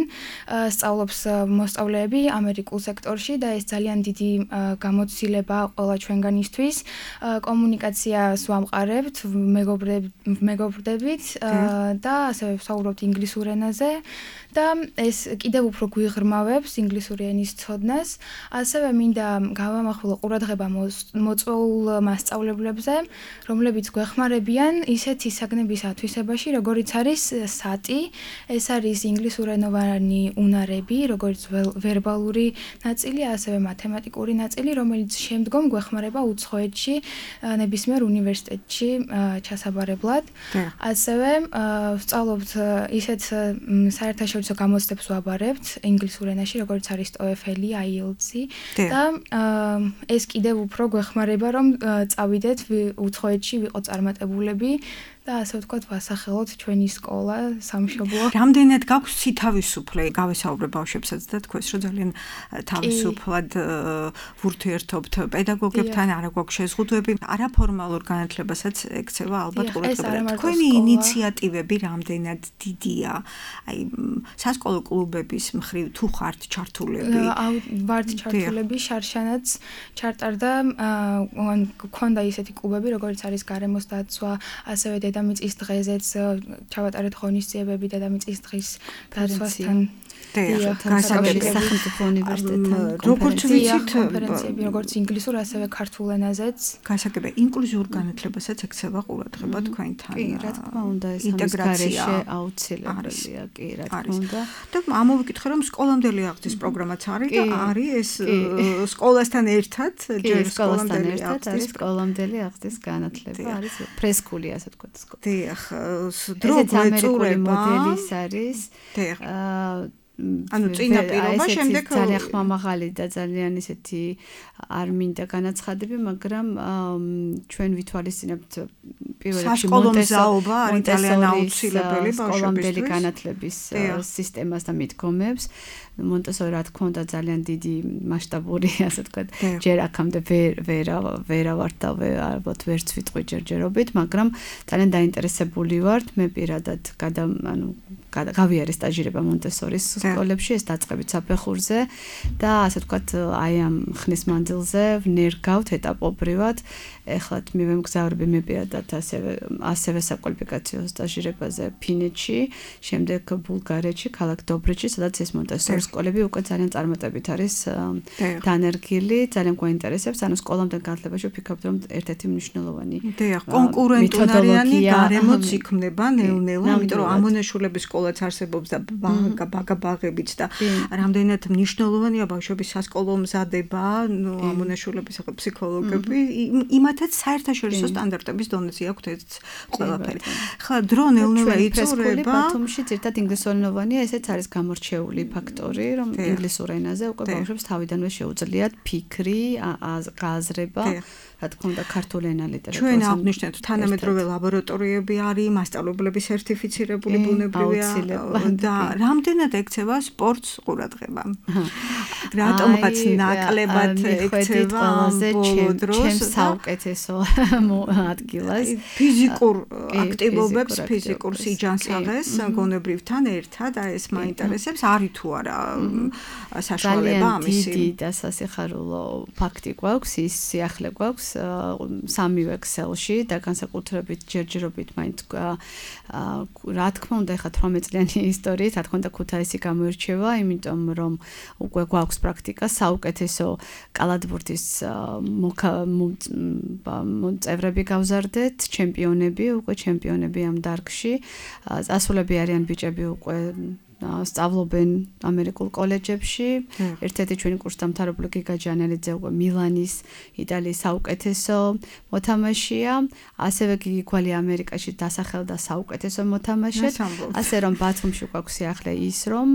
სწავლობს მოსწავლეები ამერიკულ სექტორში და ეს ძალიან დიდი გამოცდილება ყველა ჩვენგანისთვის. კომუნიკაციას ვამყარებთ, მეგობრდებით და ასევე ვსაუბრობთ ინგლისურ ენაზე და ეს კიდევ უფრო გვიღრმავებს ინგლისური ენის ცოდნას. ასევე მინდა გავამახვილო ყურადღება მოწვეულ მასწავლებლებზე, რომლებიც გვეხმარებიან ისეთი საგნების ათვისებაში, როგორიც არის SAT-ი, ეს არის ინგლისურენოვანი უნარები, როგორც ვერბალური ნაწილი, ასევე მათემატიკური ნაწილი, რომელიც შემდგომ გვეხმარება უცხოეთში, ნებისმიერ უნივერსიტეტში ჩასაბარებლად. ასევე ვსწავლობთ ისეთ საერთაშორისო გამოცდებს ვაბარებთ ინგლისურ ენაში, როგორც არის TOEFL-ი, IELTS-ი. და ეს კიდევ უფრო გვეხმარება, რომ წავიდეთ უცხოეთში, ვიყოთ წარმატებულები და ასე ვთქვათ, ვასახელოთ ჩვენი სკოლა, სამშობლო. რამდენად გაქვს თავისუფლე? გავესაუბრე ბავშვებსაც და თქვენს, რომ ძალიან თავისუფლად ვურთიერთობთ პედაგოგებთან, არა გვაქვს შეზღუდვები, არაფორმალურ განათლებასაც ექცევა ალბათ ყურადღება. თქვენი ინიციატივები რამდენად დიდია? აი, სასკოლო კლუბების მხრივ თუ ხართ ჩართულები? ვართ ჩართულები, შარშანაც ჩარტარდა, გქონდა ისეთი კლუბები, როგორც არის გარემოს დაცვა, ასევე დედამიწის დღეზეც ჩავატარეთ ღონისძიებები დედამიწის დღის დაცვასთან. სახელმწიფო უნივერსიტეტთან როგორც ვიცით, კონფერენციები, როგორც ინგლისურ, ასევე ქართულ ენაზეც. გასაგებია, ინკლუზიურ განათლებასაც ექცევა ყურადღება თქვენთან. კი, რა თქმა უნდა, ეს ინტეგრაცია აუცილებელია, კი, რა თქმა უნდა. და ამოვიკითხე, რომ სკოლამდელი აღზრდის პროგრამაც არის და არის ეს სკოლასთან ერთად, ჯერ სკოლამდელი აღზრდის განათლება არის ფრესკული, ასე ვთქვათ, სკოლა. დიახ, დრო გვეწურება მოდელის არის. ანუ წინა პირობა შემდეგ ძალიან ხმამაღალი და ძალიან ისეთი არ მინდა განაცხადები, მაგრამ ჩვენ ვითვალისწინებთ პირველ რიგში მონტესორობა არის ძალიან აუცილებელი სკოლამდელი განათლების სისტემას და მიდგომებს. მონტესორი რა თქმა უნდა ძალიან დიდი მასშტაბური, ასე ვთქვათ, ჯერ აქამდე ვერა ვარ და ალბათ ვერც ვიტყვი ჯერჯერობით, მაგრამ ძალიან დაინტერესებული ვართ. მე პირადად გავიარე სტაჟირება მონტესორის სკოლებში, ეს დაწყებით საფეხურზე და ასე ვთქვათ, აი ამ ხნის მანძილზე ვნერგავთ ეტაპობრივად. ეხლა მივემგზავრები მე პირადად ასევე საკვალიფიკაციო სტაჟირებაზე ფინეთში, შემდეგ ბულგარეთში, ქალაქ დობრეთში, სადაც ეს მონტესორის სკოლები უკვე ძალიან წარმატებით არის დანერგილი, ძალიან გვაინტერესებს, ანუ სკოლამდე განათლებაში ვფიქრობთ, რომ ერთ-ერთი მნიშვნელოვანი კონკურენტუნარიანი გარემოც იქმნება ნელ-ნელა, იმიტომ რომ ამონაშულების სკოლაც არსებობს და ბაღებიც და რამდენად მნიშვნელოვანია ბავშვების სასკოლო მზადება, ამონაშულების ფსიქოლოგები, იმათაც საერთაშორისო სტანდარტების დონეზე აქვთ ეს ყველაფერი. ხა დრო ნელ-ნელა იწურება. ბათუმში ერთად ინგლისურენოვანია, ესეც არის გამორჩეული ფაქტორი, რომ ინგლისურ ენაზე უკვე ბავშვებს თავიდანვე შეუძლიათ ფიქრი, გააზრება, რა თქმა უნდა, ქართული ენა ლიტერატურა. ჩვენ აღნიშნეთ, თანამედროვე ლაბორატორიები არის, მასწავლებლები სერტიფიცირებული ბუნებრივია და რამდენად ექცევა სპორტს ყურადღება. რატომღაც ნაკლებად ექცევა ბოლო დროს ჩემს საუკეთესო ადგილას. ფიზიკურ აქტივობებს, ფიზიკურ სიჯანსაღეს გონებრივთან ერთად, ეს მაინტერესებს, არის თუ არა საშუალება ამისი. დიდი და სასიხარულო ფაქტი გვაქვს, ის სიახლე გვაქვს სამივე ქსელში და განსაკუთრებით ჯერჯერობით მაინც რა თქმა უნდა ეხლა 18 წლიანი ისტორიით, რა თქმა უნდა ქუთაისი გამოირჩევა, იმიტომ რომ უკვე გვაქვს პრაქტიკა საუკეთესო კალათბურთის წევრები გავზარდეთ, ჩემპიონები ამ დარგში, წასულები არიან ბიჭები უკვე სწავლობენ ამერიკულ კოლეჯებში. ერთ-ერთი ჩვენი კურსდამთავრებული გიგა ჯანელიძე უკვე მილანის იტალიის საუკეთესო მოთამაშეა, ასევე გიგი გვალი ამერიკაში დასახელდა საუკეთესო მოთამაშედ. ასე რომ ბათუმში გვაქვს სიახლე ის, რომ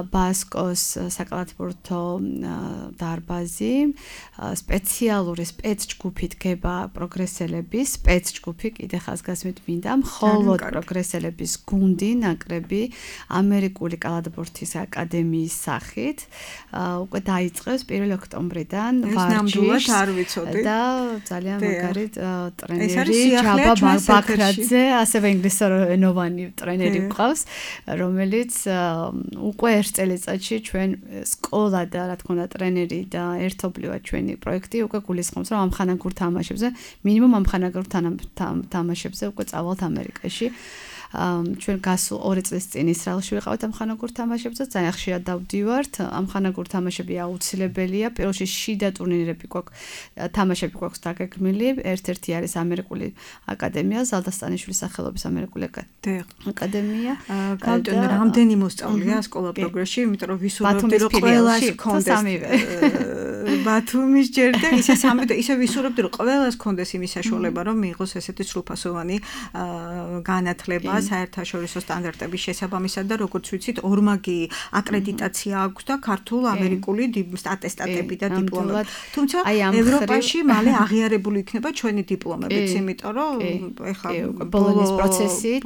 ბასკოს საკალათბურთო დარბაზი სპეციალური სპეცჯგუფი დგება პროგრესელების, სპეცჯგუფი კიდე ხაზგასმით მინდა, მხოლოდ პროგრესელების გუნდი, ნაკრები ამერიკული კალათბურთის აკადემიის სახით უკვე დაიწყეს 1 ოქტომბრიდან ვარჯიშს და ძალიან მაგარი ტრენერი ჯაბა ბაქრაძე, ასევე ინგლისურენოვანი ტრენერი გვყავს, რომელიც უკვე ერთ წელიწადში ჩვენ სკოლა და რა თქმა უნდა ტრენერი და ერთობლივად ჩვენი პროექტი უკვე გულისხმობს, რომ ამხანაგურ თამაშებზე, მინიმუმ ამხანაგურ თამაშებზე უკვე წავალთ ამერიკაში. ჩვენ გასულ 2 წლის წინ ისრაელში ვიყავით ამხანაგურ თამაშებზე, ძალიან ხშირად დავდივართ. ამხანაგურ თამაშები აუცილებელია. პირველში შიდა ტურნირები გვაქვს, თამაშები გვაქვს დაგეგმილი. ერთ-ერთი არის ამერიკული აკადემია, ზალდასტანიშვილის სახელობის ამერიკული აკადემია. გავტენ რამდენი მოსწავლეა სკოლა პროგრესში, იმიტომ რომ ვისურვებდი რომ ყველას გქონდეს ბათუმის ჯერ და ისე ვისურვებდი რომ ყველას გქონდეს იმის საშუალება, რომ მიიღოს ესეთი სრულფასოვანი განათლება საერთაშორისო სტანდარტების შესაბამისად და როგორც ვიცით, ორმაგი აკრედიტაცია აქვს და ქართულ ამერიკული ატესტატები და დიპლომები. თუმცა ევროპაში მალე აღიარებული იქნება ჩვენი დიპლომებიც, იმიტომ რომ ეხლა ბოლონის პროცესით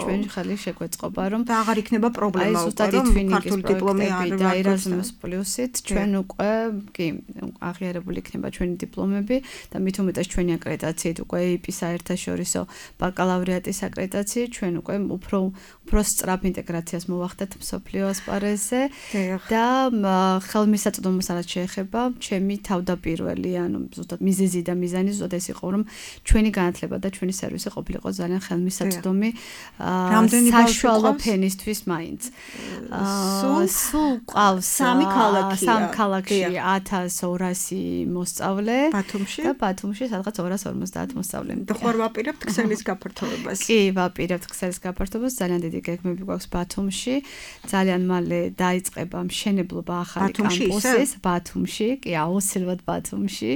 ჩვენ ხელი შეგვეწყობა, რომ და აღარ იქნება პრობლემა უკვე რომ ქართული დიპლომი არ და ერაზმუს პლუსით ჩვენ უკვე აღიარებული იქნება ჩვენი დიპლომები და მით უმეტეს ჩვენი აკრედიტაციით უკვე EIP-ის საერთაშორისო ბაკალავრიატის აკრედიტაციით ჩვენ უკვე უფრო სწრაფ ინტეგრაციას მოვახდეთ მსოფლიო ასპარეზზე და ხელმისაწვდომოს რაც შეეხება ჩემი თავდაპირველი, ანუ ზუსტად მიზეზი და მიზანი ზუსტად ეს იყო, რომ ჩვენი განათლება და ჩვენი სერვისი ყოფილიყო ძალიან ხელმისაწვდომი საშუალო ფენისთვის მაინც. სულ ყავს 3 ქალაქია. 3 ქალაქი ქალაქში 1200 მოსწავლე ბათუმში და ბათუმში სადღაც 250 მოსწავლე. და ხوار ვაპირებთ ქსელის გაფართოვებას. კი, ვაპირებთ ქსელის გაფართოვებას. ძალიან დიდი გეგმები გვაქვს ბათუმში. ძალიან მალე დაიწყება მშენებლობა ახალი კამპუსის ბათუმში, კი, აუცილებლად ბათუმში.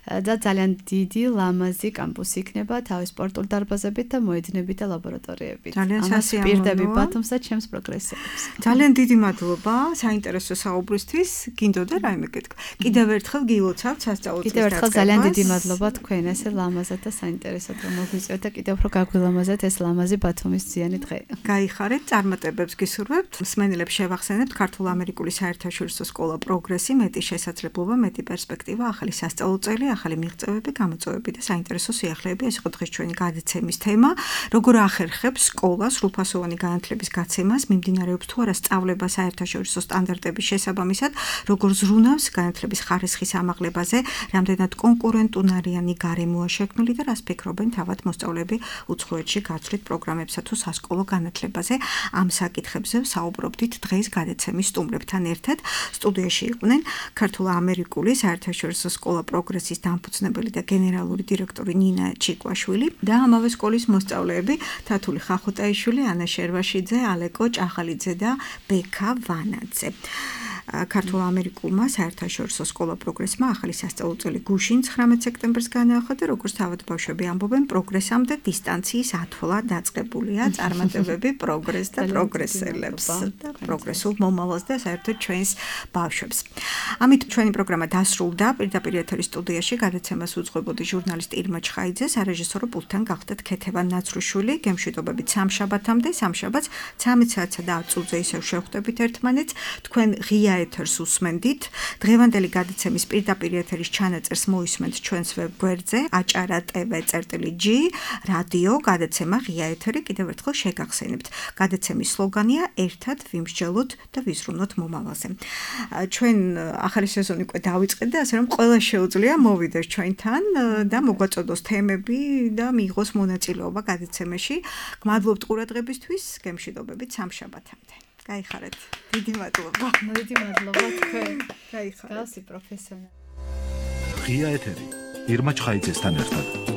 და ძალიან დიდი ლამაზი კამპუსი იქნება თავის სპორტულ დარბაზებით და მოედნებით და ლაბორატორიებით. ძალიან სასიამოვნოა. პირდები ბათუმს და ჩემს პროგრესებს. ძალიან დიდი მადლობა საინტერესო საუბრისთვის. გინდოდა რაიმე გეთქვა. კიდევ ერთხელ გილოცავთ სასწავლო წლის დაწყებას. კიდევ ერთხელ ძალიან დიდი მადლობა თქვენ ესე ლამაზად და საინტერესოდ რომ მოგვიწევთ და კიდევ უფრო გაგვილამაზეთ ეს ლამაზი ბათუმის ძიანი დღე. გაიხარეთ, წარმატებებს გისურვებთ. მსმენელებს შევახსენებთ ქართულ-ამერიკული საერთაშორისო სკოლა პროგრესი, მეტი შესაძლებლობა, მეტი პერსპექტივა, ახალი სასწავლო წელი, ახალი მიღწევები, გამოწვევები და საინტერესო სიახლეები. ეს იყო დღეს ჩვენი გადაცემის თემა. როგორ ახერხებს სკოლა სრულფასოვანი განათლების გაცემას, მიმდინარეობს თუ არა სწავლება საერთაშორისო სტანდარტების შესაბამისად, როგორ ზრუნავს განათლების ხარისხის ამაღლებაზე, რამდენად კონკურენტუნარიანი გარემოა შექმნილი და რას ფიქრობენ თავად მოსწავლეები უცხოეთში გაცვლით პროგრამებსა თუ სასკოლო განათლებაზე. ამ საკითხებზე საუბრობდით დღეს გადაცემის სტუმრებთან ერთად. სტუდიაში იყვნენ ქართულ-ამერიკული საერთაშორისო სკოლა პროგრესის დამფუძნებელი და გენერალური დირექტორი ნინა ჩიკვაშვილი და ამავე სკოლის მოსწავლეები თათული ხახუტაიშვილი, ანა შერვაშიძე, ალეკო ჭახალიძე და ბექა ვანაძე. ქართულ-ამერიკულმა საერთაშორისო სკოლა პროგრესმა ახალი სასწავლო წელი გუშინ 19 სექტემბერს განაახლა და როგორც თავად ბავშვები ამბობენ, პროგრესამდე დისტანციის ათვლა დაწყებულია. წარმატებები პროგრესს და პროგრესელებს და პროგრესულ მომავალს და საერთოდ ჩვენს ბავშვებს. ამით ჩვენი პროგრამა დასრულდა. პირდაპირ ეთერის სტუდიაში გადაცემას უძღვებოდი ჟურნალისტ ირმა ჩხაიძე, სარეჟისორო პულტთან გახდათ ქეთევან ნაცრუშვილი. გემშვიდობებით სამშაბათამდე, სამშაბათს 13 საათსა და 10 წუთზე ისევ შევხვდებით ერთმანეთს. თქვენ ღია ეთერს უსმენდით. დღევანდელი გადაცემის პირდაპირ ეთერის ჩანაწერს მოისმენთ ჩვენს ვებგვერდზე acara.tv/g რადიო გადაცემა ღია ეთერი. კიდევ ერთხელ შეგახსენებთ. გადაცემის სლოგანია ერთად ვიმსჯელოთ და ვიზრუნოთ მომავალზე. ჩვენ ახალი სეზონი უკვე დავიწყეთ და ასე რომ ყველა შეუძლია მოვიდეს ჩვენთან და მოგვაწოდოს თემები და მიიღოს მონაწილეობა გადაცემაში. გმადლობთ ყურადღებისთვის. გემშვიდობებით სამშაბათამდე. გაიხარეთ. დიდი მადლობა. დიდი მადლობა თქვენ. გაიხარეთ. გასი პროფესიონალი. ღია ეთერი ირმა ჩხაიძესთან ერთად.